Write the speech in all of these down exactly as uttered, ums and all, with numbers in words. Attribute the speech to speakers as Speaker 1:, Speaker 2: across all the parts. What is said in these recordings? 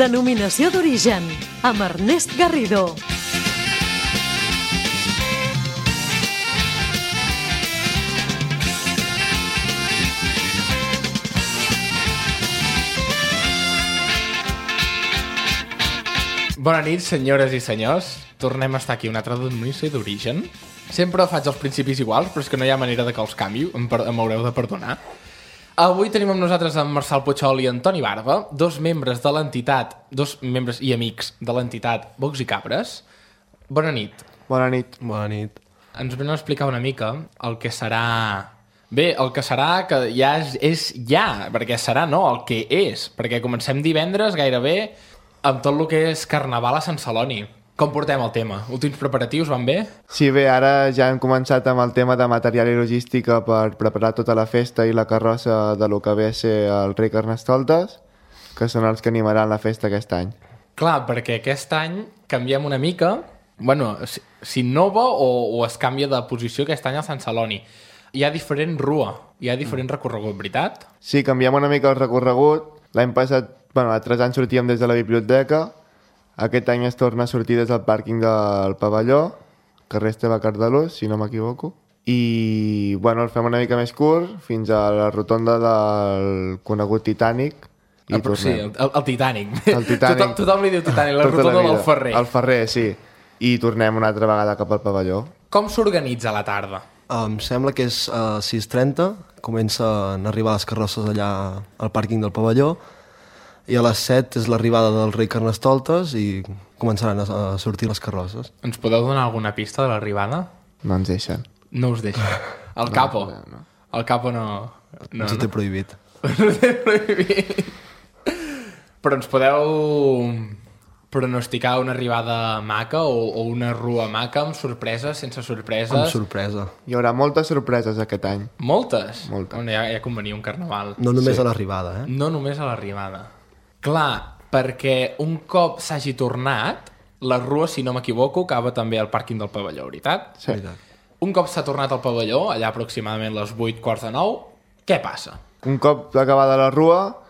Speaker 1: Denominació d'origen, amb Ernest Garrido.
Speaker 2: Bona nit, senyores i senyors. Tornem a estar aquí, una altra denominació d'origen. Sempre faig els principis iguals, però és que no hi ha manera de que els canvi, em, per- em haureu de perdonar. Avui tenim amb nosaltres en Marçal Puigol i Antoni Barba, dos membres de l'entitat, dos membres i amics de l'entitat Bocs i Cabres. Bona nit.
Speaker 3: Bona nit.
Speaker 4: Bona nit.
Speaker 2: Ens venen a explicar una mica el que serà... Bé, el que serà que ja és, és ja, perquè serà no, el que és, perquè comencem divendres gairebé amb tot el que és Carnaval a Sant Celoni. Com portem el tema? Últims preparatius van bé?
Speaker 3: Sí, bé, ara ja hem començat amb el tema de material i logística per preparar tota la festa i la carrossa de lo que ve a ser el rei Carnestoltes, que són els que animaran la festa aquest any.
Speaker 2: Clar, perquè aquest any canviem una mica, bueno, si- s'innova o, o es canvia de posició aquest any a Sant Celoni. Hi ha diferent rua, hi ha diferent recorregut, veritat?
Speaker 3: Sí, canviem una mica el recorregut. L'any passat, bueno, altres anys sortíem des de la biblioteca. Aquest any es torna a sortir des del pàrquing del pavelló, carrer Esteve Cardalós, si no m'equivoco. I, bueno, el fem una mica més curt, fins a la rotonda del conegut Titanic. I
Speaker 2: Ah, però sí,
Speaker 3: tornem.
Speaker 2: el, el, el Titanic.
Speaker 3: El Titanic.
Speaker 2: Tothom, tothom li diu Titanic, la
Speaker 3: Tota
Speaker 2: rotonda
Speaker 3: vida.
Speaker 2: del Ferrer.
Speaker 3: El Ferrer, sí. I tornem una altra vegada cap al pavelló.
Speaker 2: Com s'organitza la tarda?
Speaker 4: Em sembla que és a sis trenta, comencen a arribar les carrosses allà al pàrquing del pavelló, i a les set és l'arribada del rei Carnestoltes i començaran a, a sortir les carrosses.
Speaker 2: Ens podeu donar alguna pista de l'arribada?
Speaker 3: No ens deixen.
Speaker 2: No us deixa. El capo.
Speaker 3: no, no.
Speaker 2: El capo no... no,
Speaker 4: Ens ho té prohibit.
Speaker 2: no té prohibit. Però ens podeu pronosticar una arribada maca o, o una rua maca amb sorpreses, sense sorpreses?
Speaker 4: Amb sorpresa.
Speaker 3: Hi haurà moltes sorpreses aquest any.
Speaker 2: Moltes?
Speaker 3: Moltes.
Speaker 2: Bueno, ja, ja convenia un carnaval.
Speaker 4: No només
Speaker 3: Sí.
Speaker 4: a l'arribada, eh?
Speaker 2: No només a l'arribada. Clar, perquè un cop s'hagi tornat, la rua, si no m'equivoco, acaba també al pàrquing del pavelló, veritat?
Speaker 3: Sí.
Speaker 4: Veritat.
Speaker 2: Un cop s'ha tornat al pavelló, allà aproximadament les vuit quarts de nou, què passa?
Speaker 3: Un cop acabada la rua,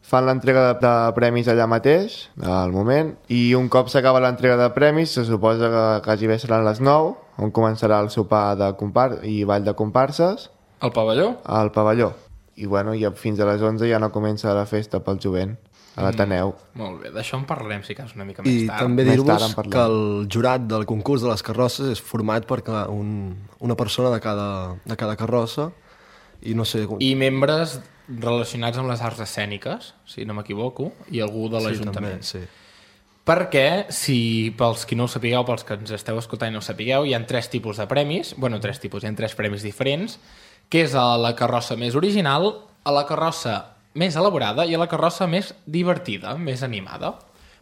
Speaker 3: fan l'entrega de, de premis allà mateix, al moment, i un cop s'acaba l'entrega de premis, se suposa que quasi bé seran les nou, on començarà el sopar de compar i ball de comparses
Speaker 2: Al pavelló?
Speaker 3: al pavelló. I, bueno, i fins a les onze ja no comença la festa pel jovent, a l'Ateneu.
Speaker 2: Molt bé, d'això en parlarem, si cas, una mica més
Speaker 4: I
Speaker 2: tard.
Speaker 4: també
Speaker 3: Més tard
Speaker 4: dir-vos
Speaker 3: en parlem.
Speaker 4: que el jurat del concurs de les carrosses és format per ca- un, una persona de cada, de cada carrossa i no sé...
Speaker 2: I membres relacionats amb les arts escèniques, si no m'equivoco, i algú de
Speaker 4: sí,
Speaker 2: l'Ajuntament.
Speaker 4: també, sí.
Speaker 2: Perquè, si pels qui no ho sapigueu, pels que ens esteu escoltant i no ho sapigueu, hi ha tres tipus de premis, bueno, tres tipus, hi ha tres premis diferents, que és a la carrossa més original, a la carrossa més elaborada i a la carrossa més divertida, més animada.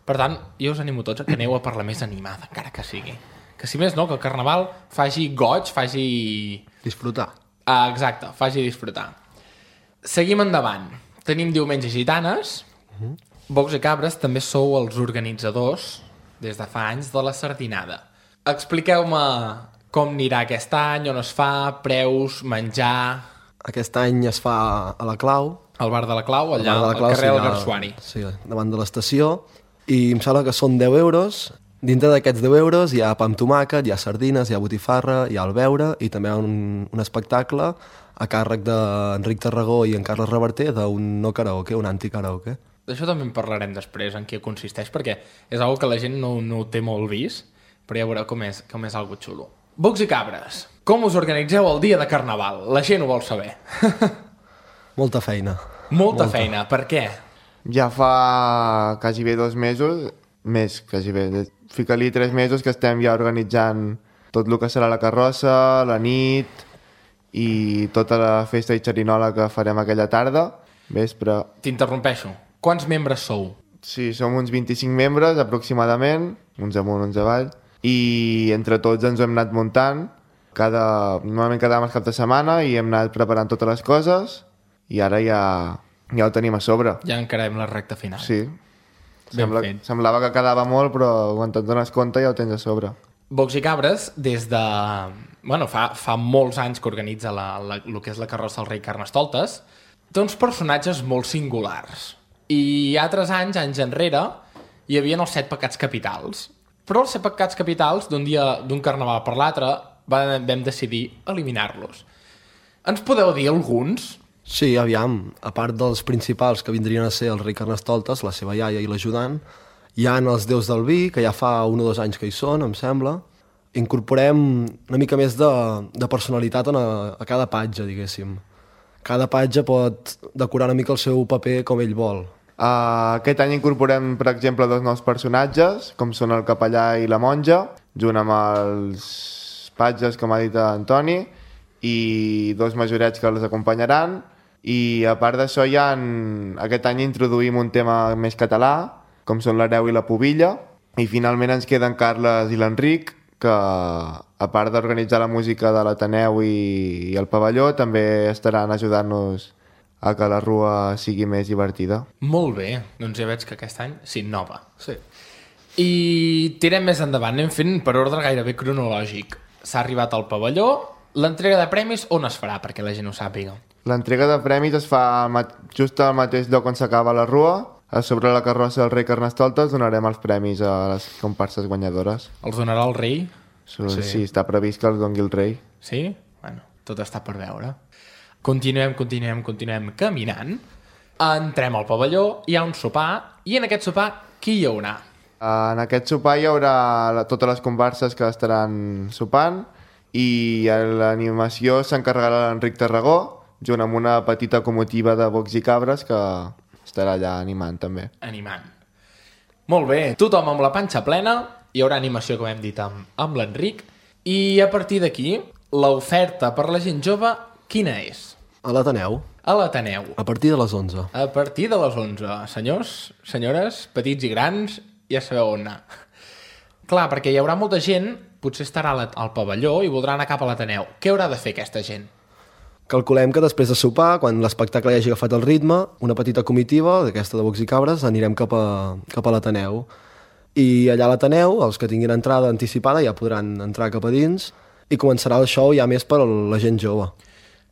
Speaker 2: Per tant, jo us animo tots a que aneu a per la més animada, encara que sigui. Que si més no, que el Carnaval faci goig, faci...
Speaker 4: Disfrutar.
Speaker 2: Ah, exacte, faci disfrutar. Seguim endavant. Tenim Diumenge Gitanes. Bocs i Cabres també sou els organitzadors, des de fa anys, de la sardinada. Expliqueu-me com anirà aquest any, on es fa, preus, menjar...
Speaker 4: Aquest any es fa a la Clau,
Speaker 2: Al bar de la Clau, allà
Speaker 4: Al bar de la
Speaker 2: al
Speaker 4: Clau,
Speaker 2: carrer
Speaker 4: sí,
Speaker 2: del
Speaker 4: allà-
Speaker 2: Garsuari.
Speaker 4: Sí, davant de l'estació. I em sembla que són deu euros. Dintre d'aquests deu euros hi ha pa amb tomàquet, hi ha sardines, hi ha botifarra, hi ha el beure i també un, un espectacle a càrrec d'Enric Tarragó i en Carles Reverter d'un no karaoke, un anti-karaoke.
Speaker 2: D'això també en parlarem després, en què consisteix, perquè és una que la gent no, no ho té molt vist, però ja veureu com és, com és algo xulo. Bocs i Cabres, com us organitzeu el dia de Carnaval? La gent ho vol saber.
Speaker 4: Molta feina.
Speaker 2: Molta, Molta feina, per què?
Speaker 3: Ja fa quasi bé dos mesos, més quasi bé, de- fica-li tres mesos que estem ja organitzant tot el que serà la carrossa, la nit i tota la festa i xerinola que farem aquella tarda, vespre.
Speaker 2: T'interrompeixo. Quants membres sou?
Speaker 3: Sí, som uns vint-i-cinc membres aproximadament, uns amunt, uns avall, i entre tots ens ho hem anat muntant. Cada, normalment quedàvem el cap de setmana i hem anat preparant totes les coses i ara ja, ja ho tenim a sobre.
Speaker 2: Ja encarem la recta final.
Speaker 3: Sí.
Speaker 2: Ben
Speaker 3: Sembla,
Speaker 2: fet.
Speaker 3: semblava que quedava molt, però quan te'n dones compte ja ho tens a sobre.
Speaker 2: Bocs i Cabres, des de... Bueno, fa, fa molts anys que organitza la, la, el que és la carrossa del rei Carnestoltes, té uns personatges molt singulars. I altres anys, anys enrere, hi havia els set pecats capitals. Però els set pecats capitals, d'un dia, d'un carnaval per l'altre, vam decidir eliminar-los. Ens podeu dir alguns?
Speaker 4: Sí, aviam, a part dels principals que vindrien a ser el rei Carnestoltes, la seva iaia i l'ajudant, hi ha els déus del vi, que ja fa un o dos anys que hi són, em sembla. Incorporem una mica més de, de personalitat a, a cada patge, diguéssim. Cada patge pot decorar una mica el seu paper com ell vol.
Speaker 3: Uh, aquest any incorporem, per exemple, dos nous personatges, com són el capellà i la monja, junt amb els patges, com ha dit Antoni, i dos majorets que els acompanyaran. I a part d'això, ja en... aquest any introduïm un tema més català, com són l'hereu i la pubilla, i finalment ens queden Carles i l'Enric, que a part d'organitzar la música de l'Ateneu i, i el pavelló, també estaran ajudant-nos a que la rua sigui més divertida.
Speaker 2: Molt bé, doncs ja veig que aquest any s'innova.
Speaker 4: Sí.
Speaker 2: I tirem més endavant, anem fent per ordre gairebé cronològic. S'ha arribat al pavelló, l'entrega de premis on es farà, perquè la gent ho sàpiga?
Speaker 3: L'entrega de premis es fa just al mateix lloc on s'acaba la rua. A sobre la carrossa del rei Carnestoltes donarem els premis a les comparses guanyadores.
Speaker 2: Els donarà el rei?
Speaker 3: So, sí. sí, està previst que els doni el rei.
Speaker 2: Sí? Bueno, tot està per veure. Continuem, continuem, continuem caminant. Entrem al pavelló, hi ha un sopar, i en aquest sopar qui hi haurà?
Speaker 3: En aquest sopar hi haurà la, totes les comparses que estaran sopant, i l'animació s'encarregarà l'Enric Tarragó, junt amb una petita comitiva de bocs i cabres que estarà allà animant també.
Speaker 2: Animant. Molt bé, tothom amb la panxa plena, hi haurà animació, com hem dit, amb, amb l'Enric, i a partir d'aquí, l'oferta per la gent jove, quina és?
Speaker 4: A l'Ateneu.
Speaker 2: A l'Ateneu.
Speaker 4: A partir de les onze.
Speaker 2: A partir de les onze. Senyors, senyores, petits i grans, ja sabeu on anar. Clar, perquè hi haurà molta gent, potser estarà al pavelló i voldrà anar cap a l'Ateneu. Què haurà de fer aquesta gent?
Speaker 4: Calculem que després de sopar, quan l'espectacle ja hagi agafat el ritme, una petita comitiva, d'aquesta de bocs i cabres, anirem cap a, cap a l'Ateneu. I allà a l'Ateneu, els que tinguin entrada anticipada ja podran entrar cap a dins i començarà el show ja més per a la gent jove.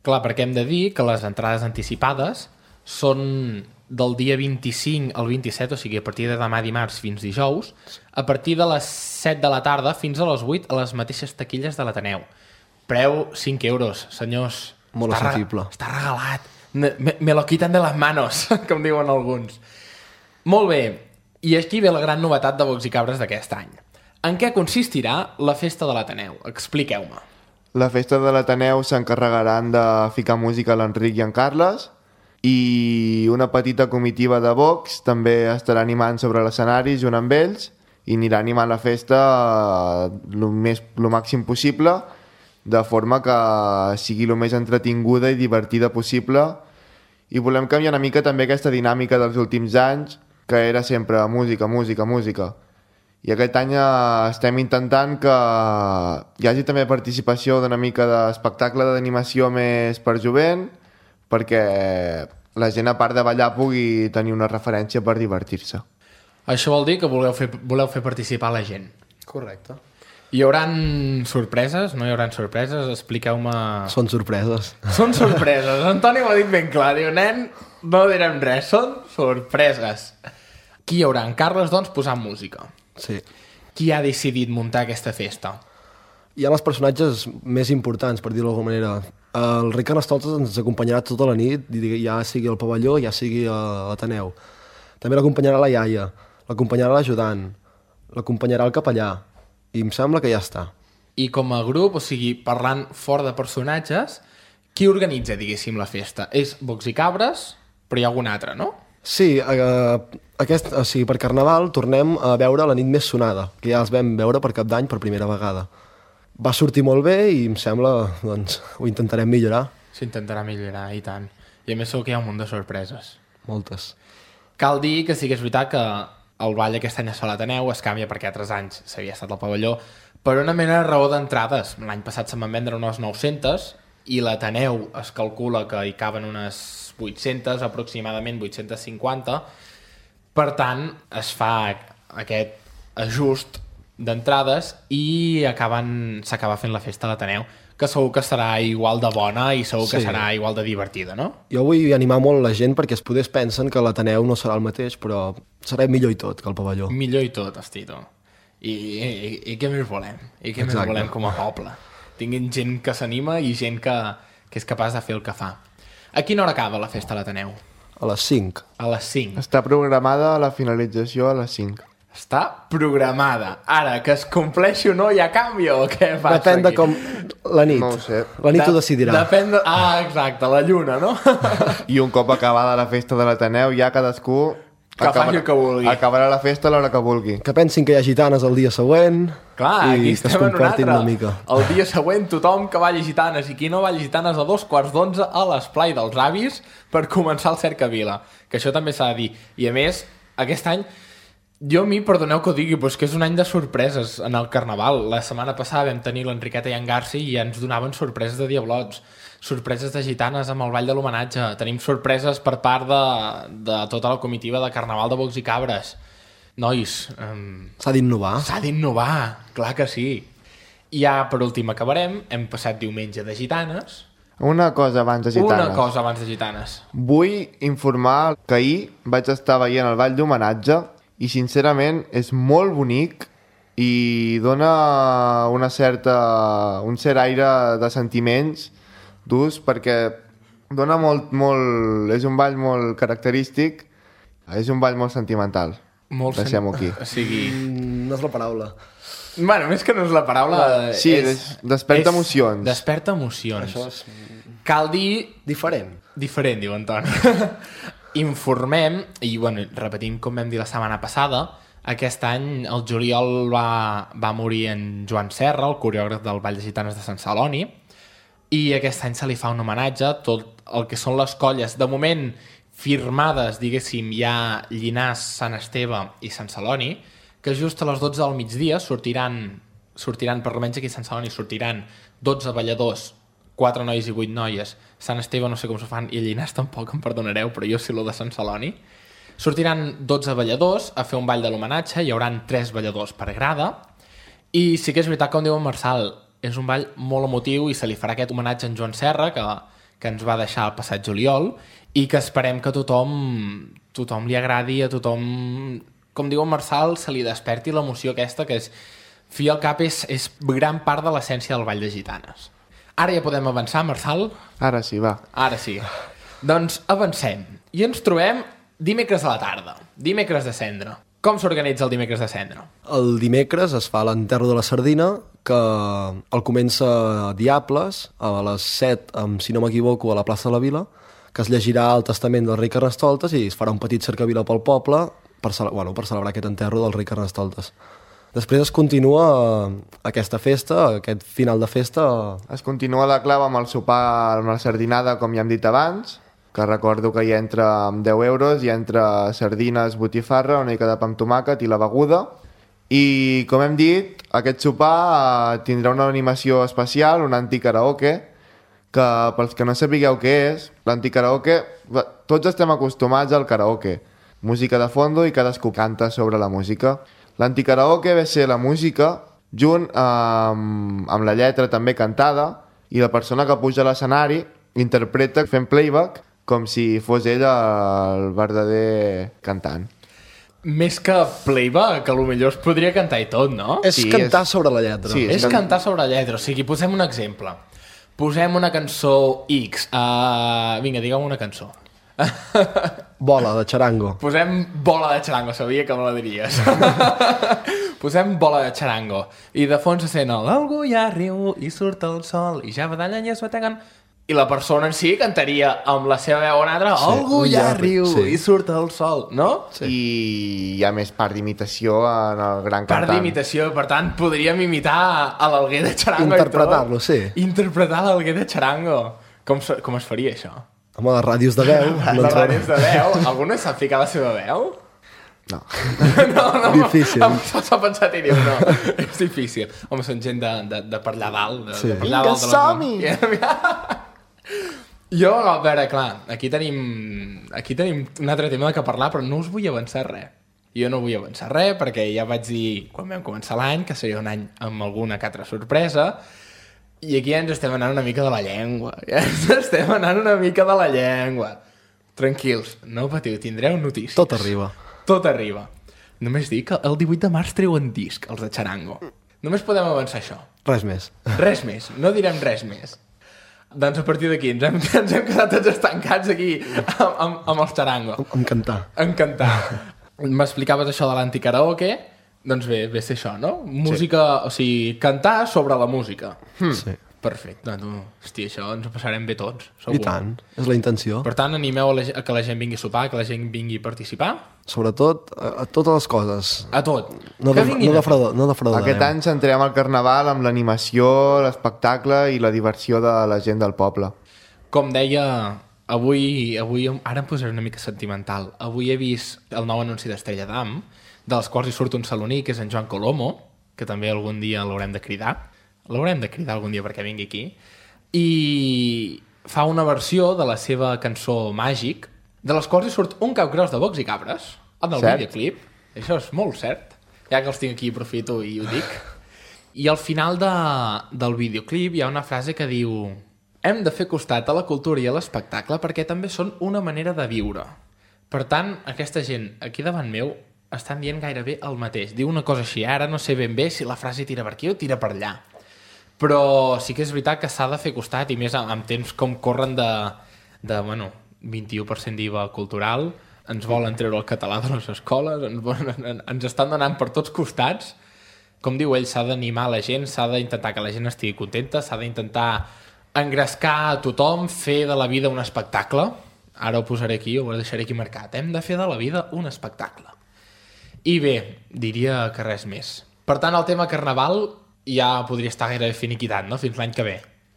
Speaker 2: Clar, perquè hem de dir que les entrades anticipades són del dia vint-i-cinc al vint-i-set, o sigui, a partir de demà dimarts fins dijous, a partir de les set de la tarda fins a les vuit a les mateixes taquilles de l'Ateneu. Preu cinc euros, senyors.
Speaker 4: Molt
Speaker 2: està
Speaker 4: assequible.
Speaker 2: Re, està regalat. Me, me lo quitan de les manos, com diuen alguns. Molt bé, i aquí ve la gran novetat de Bocs i Cabres d'aquest any. En què consistirà la festa de l'Ateneu? Expliqueu-me.
Speaker 3: La festa de l'Ateneu s'encarregaran de ficar música a l'Enric i en Carles, i una petita comitiva de bocs també estarà animant sobre l'escenari junt amb ells i anirà animant la festa el més, el màxim possible, de forma que sigui el més entretinguda i divertida possible. I volem canviar una mica també aquesta dinàmica dels últims anys, que era sempre música, música, música. I aquest any estem intentant que hi hagi també participació d'una mica d'espectacle d'animació més per jovent, perquè la gent, a part de ballar, pugui tenir una referència per divertir-se.
Speaker 2: Això vol dir que voleu fer, voleu fer participar la gent.
Speaker 4: Correcte.
Speaker 2: Hi haurà sorpreses? No hi haurà sorpreses? Expliqueu-me...
Speaker 4: Són sorpreses.
Speaker 2: Són sorpreses. Antoni m'ho ha dit ben clar. Diu, nen, no direm res. Són sorpreses. Qui hi haurà? En Carles, doncs, posant música.
Speaker 4: Sí.
Speaker 2: Qui ha decidit muntar aquesta festa?
Speaker 4: Hi ha els personatges més importants, per dir-ho d'alguna manera. El rei Carnestoltes ens acompanyarà tota la nit, ja sigui al pavelló, ja sigui a l'Ateneu. També l'acompanyarà la iaia, l'acompanyarà l'ajudant, l'acompanyarà el capellà, i em sembla que ja està.
Speaker 2: I com a grup, o sigui, parlant fora de personatges, qui organitza, diguéssim, la festa? És Bocs i Cabres, però hi ha algun altre, no?
Speaker 4: Sí, eh, aquest, o sigui, per Carnaval tornem a veure la nit més sonada, que ja els vam veure per Cap d'Any per primera vegada. Va sortir molt bé i em sembla, doncs, ho intentarem millorar.
Speaker 2: S'intentarà millorar, i tant. I a més segur que hi ha un munt de sorpreses.
Speaker 4: Moltes.
Speaker 2: Cal dir que sí que és veritat que el ball aquest any a l'Ateneu es canvia perquè altres anys s'havia estat al pavelló per una mena de raó d'entrades. L'any passat se'n van vendre unes nou-centes i l'Ateneu es calcula que hi caben unes vuit-centes, aproximadament vuit-centes cinquanta. Per tant, es fa aquest ajust d'entrades i acaben s'acaba fent la festa a l'Ateneu, que segur que serà igual de bona i segur que
Speaker 4: Sí.
Speaker 2: serà igual de divertida, no?
Speaker 4: Jo vull animar molt la gent perquè es podés pensen que l'Ateneu no serà el mateix, però serà millor i tot que el pavelló.
Speaker 2: Millor i tot, hosti, tu. I, i, i què més volem? I què
Speaker 4: Exacte.
Speaker 2: més volem com a poble? Tinguin gent que s'anima i gent que, que és capaç de fer el que fa. A quina hora acaba la festa a l'Ateneu?
Speaker 4: A les cinc.
Speaker 2: A les cinc.
Speaker 3: Està programada la finalització a les cinc.
Speaker 2: Està programada. Ara, que es compleixi o no hi ha canvi o què passa
Speaker 4: Depèn de
Speaker 2: aquí?
Speaker 4: com... La nit.
Speaker 3: No ho sé.
Speaker 4: La nit
Speaker 2: De-
Speaker 4: ho decidirà.
Speaker 2: Depèn de... Ah, exacte, la lluna, no?
Speaker 3: I un cop acabada la festa de l'Ateneu, ja cadascú...
Speaker 2: Que faci el que vulgui.
Speaker 3: Acabarà la festa a l'hora que vulgui.
Speaker 4: Que pensin que hi ha gitanes el dia següent
Speaker 2: Clar, aquí
Speaker 4: i que es
Speaker 2: estem en un
Speaker 4: comportin
Speaker 2: altre.
Speaker 4: una mica.
Speaker 2: El dia següent tothom que balli gitanes i qui no balli gitanes a dos quarts d'onze a l'esplai dels avis per començar el Cercavila. Que això també s'ha de dir. I a més, aquest any, jo a mi, perdoneu que ho digui, però és que és un any de sorpreses en el Carnaval. La setmana passada vam tenir l'Enriqueta i en Garci i ens donaven sorpreses de diablots, sorpreses de gitanes amb el Ball de l'Homenatge, tenim sorpreses per part de, de tota la comitiva de Carnaval de Bocs i Cabres. Nois, um,
Speaker 4: S'ha d'innovar.
Speaker 2: s'ha d'innovar, clar que sí. I ja, per últim, acabarem. Hem passat diumenge de gitanes.
Speaker 3: Una cosa abans de gitanes.
Speaker 2: Una cosa abans de gitanes.
Speaker 3: Vull informar que ahir vaig estar veient el Ball d'Homenatge i, sincerament, és molt bonic i dona una certa, un cert aire de sentiments durs perquè dona molt, molt... És un ball molt característic, és un ball molt sentimental.
Speaker 2: Molt
Speaker 3: Deixem-ho aquí.
Speaker 2: O sigui...
Speaker 4: Mm, No és la paraula.
Speaker 2: Bueno, més que no és la paraula...
Speaker 3: Sí,
Speaker 2: és,
Speaker 3: des- desperta emocions.
Speaker 2: Desperta emocions.
Speaker 4: Això és
Speaker 2: Cal dir...
Speaker 4: diferent.
Speaker 2: Diferent, diu Antoni. Informem, i bueno, repetint com vam dir la setmana passada, aquest any el juliol va, va morir en Joan Serra, el coreògraf del Ball de Gitanes de Sant Celoni, i aquest any se li fa un homenatge a tot el que són les colles. De moment, firmades, diguéssim, hi ha Llinars, Sant Esteve i Sant Celoni, que just a les dotze del migdia sortiran, sortiran per almenys aquí a Sant Celoni, sortiran dotze balladors, quatre nois i vuit noies. Sant Esteve no sé com s'ho fan, i Llinars tampoc, em perdonareu, però jo sé lo de Sant Celoni. Sortiran dotze balladors a fer un ball de l'homenatge, hi hauran tres balladors per grada, i sí que és veritat, com diu en Marçal, és un ball molt emotiu i se li farà aquest homenatge a en Joan Serra, que, que ens va deixar el passat juliol, i que esperem que tothom, tothom li agradi, a tothom, com diu en Marçal, se li desperti l'emoció aquesta, que és, fi al cap, és, és gran part de l'essència del Ball de Gitanes. Ara ja podem avançar, Marçal?
Speaker 3: Ara sí, va.
Speaker 2: Ara sí. Doncs avancem. I ens trobem dimecres a la tarda, dimecres de cendra. Com s'organitza el dimecres de cendra?
Speaker 4: El dimecres es fa l'enterro de la sardina, que el comença Diables, a les set, amb, si no m'equivoco, a la plaça de la Vila, que es llegirà el testament del rei Carnestoltes i es farà un petit cercavila pel poble per, cele bueno, per celebrar aquest enterro del rei Carnestoltes. Després es continua aquesta festa, aquest final de festa...
Speaker 3: Es continua la clau amb el sopar, amb la sardinada, com ja hem dit abans, que recordo que hi entra amb deu euros, hi entra sardines, botifarra, una mica de pa amb tomàquet i la beguda. I, com hem dit, aquest sopar eh, tindrà una animació especial, un anticaraoke, que pels que no sapigueu què és, l'anticaraoke, tots estem acostumats al karaoke, música de fondo i cadascú canta sobre la música. L'anticaraoke ve ser la música junt amb, amb la lletra també cantada i la persona que puja a l'escenari interpreta fent playback com si fos ell el verdader cantant.
Speaker 2: Més que playback, que potser es podria cantar i tot, no?
Speaker 4: És
Speaker 3: Sí,
Speaker 4: cantar
Speaker 3: és-
Speaker 4: sobre la lletra.
Speaker 3: Sí,
Speaker 2: És
Speaker 3: can-
Speaker 2: cantar sobre la lletra. O sigui, posem un exemple. Posem una cançó X. Uh, vinga, digue'm una cançó.
Speaker 4: Bola, de xarango.
Speaker 2: Posem bola de xarango, sabia que me la diries. Posem bola de xarango. I de fons se sent el algú ja riu i surt el sol i ja badallen i es bateguen. I la persona en si cantaria amb la seva veu en altra
Speaker 4: Sí,
Speaker 2: algú ja
Speaker 4: ja riu,
Speaker 2: riu
Speaker 4: sí.
Speaker 2: i surt el sol, no?
Speaker 3: Sí. I hi ha més part d'imitació en el gran
Speaker 2: Part
Speaker 3: cantant.
Speaker 2: d'imitació, per tant, podríem imitar a l'Alguer de Charango. i tot.
Speaker 4: Interpretar-lo, sí.
Speaker 2: Interpretar l'Alguer de Charango. Com, se- com es faria, això?
Speaker 4: Home, les ràdios de veu... no
Speaker 2: Les
Speaker 4: ens
Speaker 2: ràdios de veu? Algú no sap ficar la seva veu?
Speaker 3: No.
Speaker 2: No, no.
Speaker 4: Difícil.
Speaker 2: Em s'ha pensat i diu, no. És difícil. Home, són gent de, de, de per allà dalt. De,
Speaker 4: Sí.
Speaker 2: de per allà
Speaker 3: Vinga,
Speaker 2: dalt de la-
Speaker 3: som-hi!
Speaker 2: Jo, a veure, clar, aquí tenim, aquí tenim un altre tema de què parlar, però no us vull avançar res. Jo no vull avançar res, perquè ja vaig dir, quan vam començar l'any, que seria un any amb alguna que altra sorpresa, I aquí ja ens estem anant una mica de la llengua. Ja ens estem anant una mica de la llengua. Tranquils, no patiu, tindreu notícies.
Speaker 4: Tot arriba.
Speaker 2: Tot arriba. Només dic que el divuit de març treuen disc, els de Charango. Només podem avançar això.
Speaker 4: Res més.
Speaker 2: Res més, no direm res més. Doncs a partir d'aquí ens hem, ens hem quedat tots estancats aquí amb, amb, amb els Charango.
Speaker 4: Em cantar.
Speaker 2: En cantar. M'explicaves això de l'anticaraoke, doncs bé, ve a ser això, no? Música, sí. O sigui, cantar sobre la música.
Speaker 4: Hmm. Sí.
Speaker 2: Perfecte, tu. Hosti, això ens ho passarem bé tots, segur.
Speaker 4: I tant, és la intenció.
Speaker 2: Per tant, animeu a, la, a que la gent vingui a sopar, que la gent vingui a participar.
Speaker 4: Sobretot a, a totes les coses.
Speaker 2: A tot.
Speaker 4: No,
Speaker 2: que
Speaker 4: de,
Speaker 2: vinguin
Speaker 4: no,
Speaker 2: a tot.
Speaker 4: defraud, no defraudarem.
Speaker 3: Aquest any centrem el carnaval amb l'animació, l'espectacle i la diversió de la gent del poble.
Speaker 2: Com deia, avui, avui ara em posaré una mica sentimental. Avui he vist el nou anunci d'Estrella d'Am, dels quals hi surt un saloní, que és en Joan Colomo, que també algun dia l'haurem de cridar. L'haurem de cridar algun dia perquè vingui aquí. I fa una versió de la seva cançó Màgic, de les quals hi surt un cap gros de bocs i cabres, en el
Speaker 3: Cert.
Speaker 2: videoclip. Això és molt cert. Ja que els tinc aquí, aprofito i ho dic. I al final de, del videoclip hi ha una frase que diu: hem de fer costat a la cultura i a l'espectacle perquè també són una manera de viure. Per tant, aquesta gent aquí davant meu estan dient gairebé el mateix. Diu una cosa així, ara no sé ben bé si la frase tira per aquí o tira per allà. Però sí que és veritat que s'ha de fer costat, i més en temps com corren de, de bueno, vint-i-u per cent d'I V A cultural, ens volen treure el català de les escoles, ens, volen, ens estan donant per tots costats. Com diu ell, s'ha d'animar la gent, s'ha d'intentar que la gent estigui contenta, s'ha d'intentar engrescar a tothom, fer de la vida un espectacle. Ara ho posaré aquí, ho deixaré aquí marcat. Hem de fer de la vida un espectacle. I bé, diria que res més. Per tant, el tema carnaval ja podria estar gairebé finiquitat, no? Fins l'any que ve.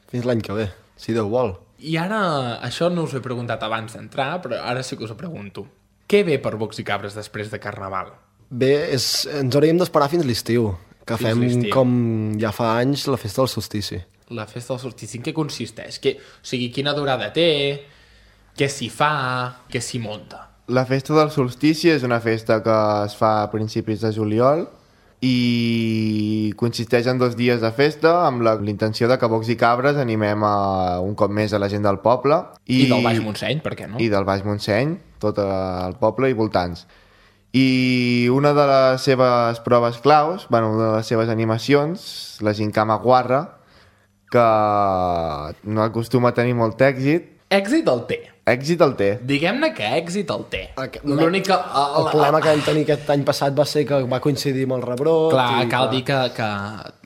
Speaker 4: Fins l'any que ve, si Déu vol.
Speaker 2: I ara, això no us ho he preguntat abans d'entrar, però ara sí que us ho pregunto. Què ve per Bocs i Cabres després de Carnaval?
Speaker 4: Bé, és, ens hauríem d'esperar fins l'estiu, que
Speaker 2: Fins
Speaker 4: fem,
Speaker 2: l'estiu.
Speaker 4: com ja fa anys, la festa del solstici.
Speaker 2: La festa del solstici, en què consisteix? Que, o sigui, quina durada té? Què s'hi fa? Què s'hi monta?
Speaker 3: La festa del solstici és una festa que es fa a principis de juliol i consisteix en dos dies de festa amb la intenció de que Bocs i Cabres animem a, un cop més a la gent del poble.
Speaker 2: I, I del Baix Montseny, per què no?
Speaker 3: I del Baix Montseny, tot el poble i voltants. I una de les seves proves claus, bueno, una de les seves animacions, la Gincama Guarra, que no acostuma a tenir molt èxit.
Speaker 2: Èxit el té.
Speaker 3: Èxit el té.
Speaker 2: Diguem-ne que èxit el té.
Speaker 4: Aqu-
Speaker 2: L'únic que...
Speaker 4: El problema que vam tenir aquest any passat va ser que va coincidir amb el rebrot.
Speaker 2: Clar,
Speaker 4: i,
Speaker 2: cal dir que, que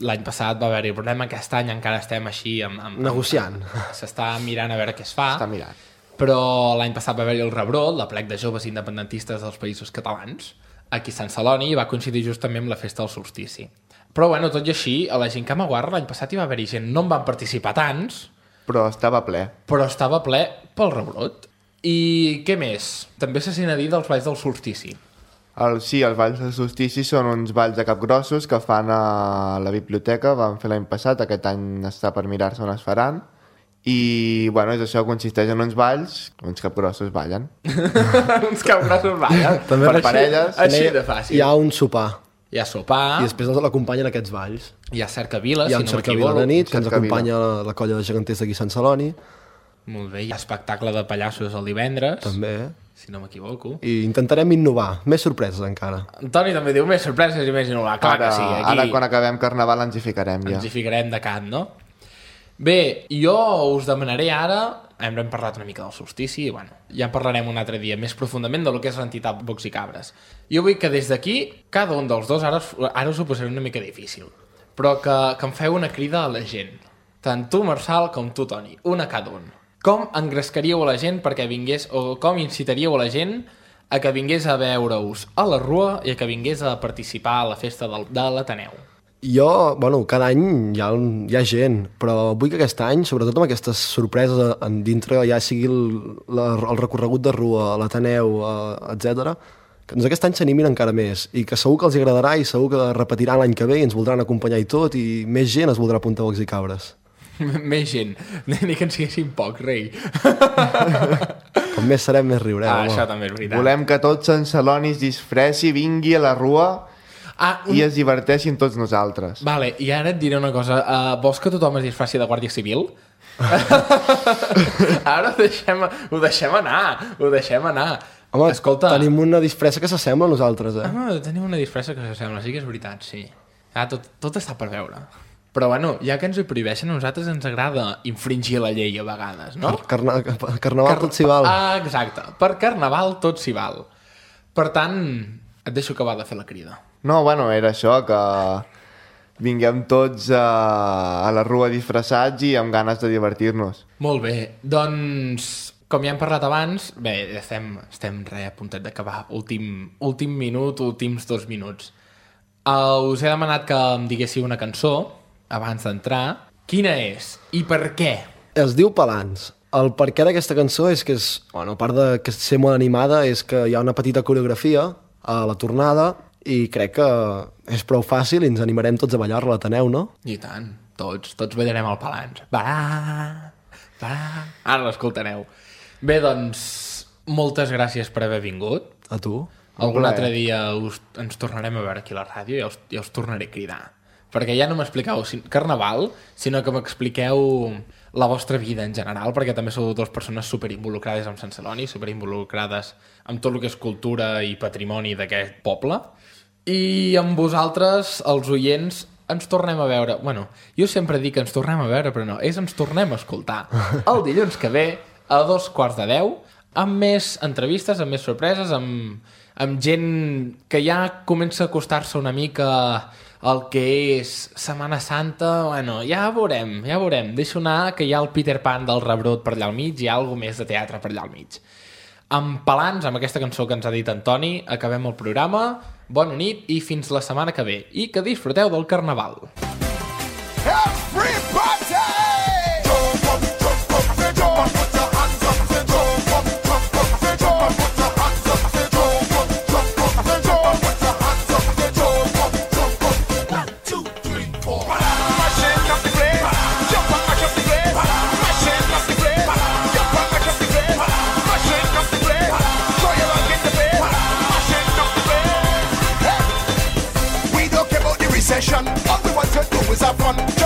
Speaker 2: l'any passat va haver-hi problema, aquest any encara estem així amb, amb,
Speaker 4: Negociant.
Speaker 2: amb- s'està mirant a veure què es fa.
Speaker 3: Està mirant.
Speaker 2: Però l'any passat va haver-hi el rebrot, la plec de joves independentistes dels països catalans, aquí a Sant Celoni, i va coincidir just també amb la festa del solstici. Però bueno, tot i així, a la Gincama Guarra l'any passat hi va haver-hi gent, no en van participar tants,
Speaker 3: Però estava ple.
Speaker 2: però estava ple pel rebrot. I què més? També se sent a dir dels balls del solstici.
Speaker 3: El, sí, els balls del solstici són uns balls de capgrossos que fan a la biblioteca, van fer l'any passat, aquest any està per mirar-se on es faran. I, bueno, és això, consisteix en uns balls, uns capgrossos ballen.
Speaker 2: Uns capgrossos ballen.
Speaker 4: També
Speaker 3: per
Speaker 2: Així-
Speaker 3: parelles.
Speaker 2: Així de fàcil.
Speaker 4: Hi ha un sopar
Speaker 2: Hi ha sopar,
Speaker 4: i després l'acompanyen aquests balls.
Speaker 2: hi ha cercavila,
Speaker 4: Hi ha
Speaker 2: si
Speaker 4: un
Speaker 2: no
Speaker 4: cercavila
Speaker 2: m'equivoco.
Speaker 4: de nit que ens
Speaker 3: Cercavila.
Speaker 4: acompanya la, la colla de geganters d'aquí a Sant Celoni,
Speaker 2: Molt bé, hi ha espectacle de pallassos el divendres,
Speaker 4: també.
Speaker 2: si no m'equivoco.
Speaker 4: I intentarem innovar, més sorpreses encara.
Speaker 2: Antoni també diu més sorpreses i més innovar. Clar
Speaker 3: Ara,
Speaker 2: que sí, aquí
Speaker 3: ara quan acabem Carnaval ens hi ficarem ja.
Speaker 2: ens hi ficarem de cant, no? Bé, jo us demanaré ara, hem parlat una mica del solstici, i bueno, ja en parlarem un altre dia més profundament del que és l'entitat Bocs i Cabres. Jo vull que des d'aquí, cada un dels dos, ara, us- ara us ho posaré una mica difícil, però que, que em feu una crida a la gent. Tant tu, Marçal, com tu, Toni, una cada un. Com engrescaríeu a la gent perquè vingués, o com incitaríeu a la gent a que vingués a veure-us a la Rua i a que vingués a participar a la festa del, de l'Ateneu?
Speaker 4: Jo, bueno, cada any hi ha, hi ha gent, però vull que aquest any, sobretot amb aquestes sorpreses en dintre, ja sigui el, la, el recorregut de Rua, l'Ateneu, eh, etcètera, que doncs aquest any s'animin encara més i que segur que els agradarà i segur que repetiran l'any que ve i ens voldran acompanyar i tot i més gent es voldrà apuntar a Bocs i Cabres.
Speaker 2: Més gent, ni que en siguessin poc, rei.
Speaker 4: Com més serem, més riurem.
Speaker 2: Ah,
Speaker 4: home.
Speaker 2: això també és veritat.
Speaker 3: Volem que tot Sant Celoni es disfressi, vingui a la Rua
Speaker 2: Ah, un...
Speaker 3: i es diverteixin tots nosaltres.
Speaker 2: Vale, i ara et diré una cosa. Uh, vols que tothom es disfressi de Guàrdia Civil? Ara ho deixem, ho deixem anar, ho deixem anar.
Speaker 4: Home,
Speaker 2: escolta...
Speaker 4: tenim una disfressa que s'assembla a nosaltres, eh?
Speaker 2: Home, tenim una disfressa que s'assembla, sí que és veritat, sí. Ah, tot, tot està per veure. Però bueno, ja que ens ho prohibeixen, a nosaltres ens agrada infringir la llei a vegades, no?
Speaker 4: Per carna... per carnaval Car... tot s'hi val.
Speaker 2: Ah, exacte. Per carnaval tot s'hi val. Per tant, et deixo acabar de fer la crida.
Speaker 3: No, bueno, era això, que vinguem tots a, a la rua disfressats i amb ganes de divertir-nos.
Speaker 2: Molt bé, doncs, com ja hem parlat abans, bé, estem, estem re, a puntet d'acabar. Últim, últim minut, últims dos minuts. Uh, us he demanat que em diguéssiu una cançó abans d'entrar. Quina és? I per què?
Speaker 4: Es diu Palans. El perquè d'aquesta cançó és que és, bueno, a part de que ser molt animada, és que hi ha una petita coreografia a la tornada i crec que és prou fàcil i ens animarem tots a ballar-la, la teneu, no?
Speaker 2: I tant, tots, tots ballarem el Palans. Balà, balà... Ara l'escoltareu. Bé, doncs, moltes gràcies per haver vingut.
Speaker 4: A tu.
Speaker 2: Algun altre dia us, ens tornarem a veure aquí a la ràdio i us, ja us tornaré a cridar. Perquè ja no m'expliqueu carnaval, sinó que m'expliqueu la vostra vida en general, perquè també sou dues persones superinvolucrades amb Sant Celoni, superinvolucrades amb tot el que és cultura i patrimoni d'aquest poble. I amb vosaltres, els oients, ens tornem a veure. Bueno, jo sempre dic que ens tornem a veure, però no, és ens tornem a escoltar. El dilluns que ve, a dos quarts de deu, amb més entrevistes, amb més sorpreses, amb, amb gent que ja comença a acostar-se una mica el que és Setmana Santa. Bueno, ja veurem, ja veurem. Deixo anar que hi ha el Peter Pan del rebrot per allà al mig i hi ha alguna més de teatre per allà al mig. Amb Palans, amb aquesta cançó que ens ha dit Antoni, acabem el programa. Bona nit i fins la setmana que ve. I que disfruteu del Carnaval.
Speaker 5: All we want to do is have fun.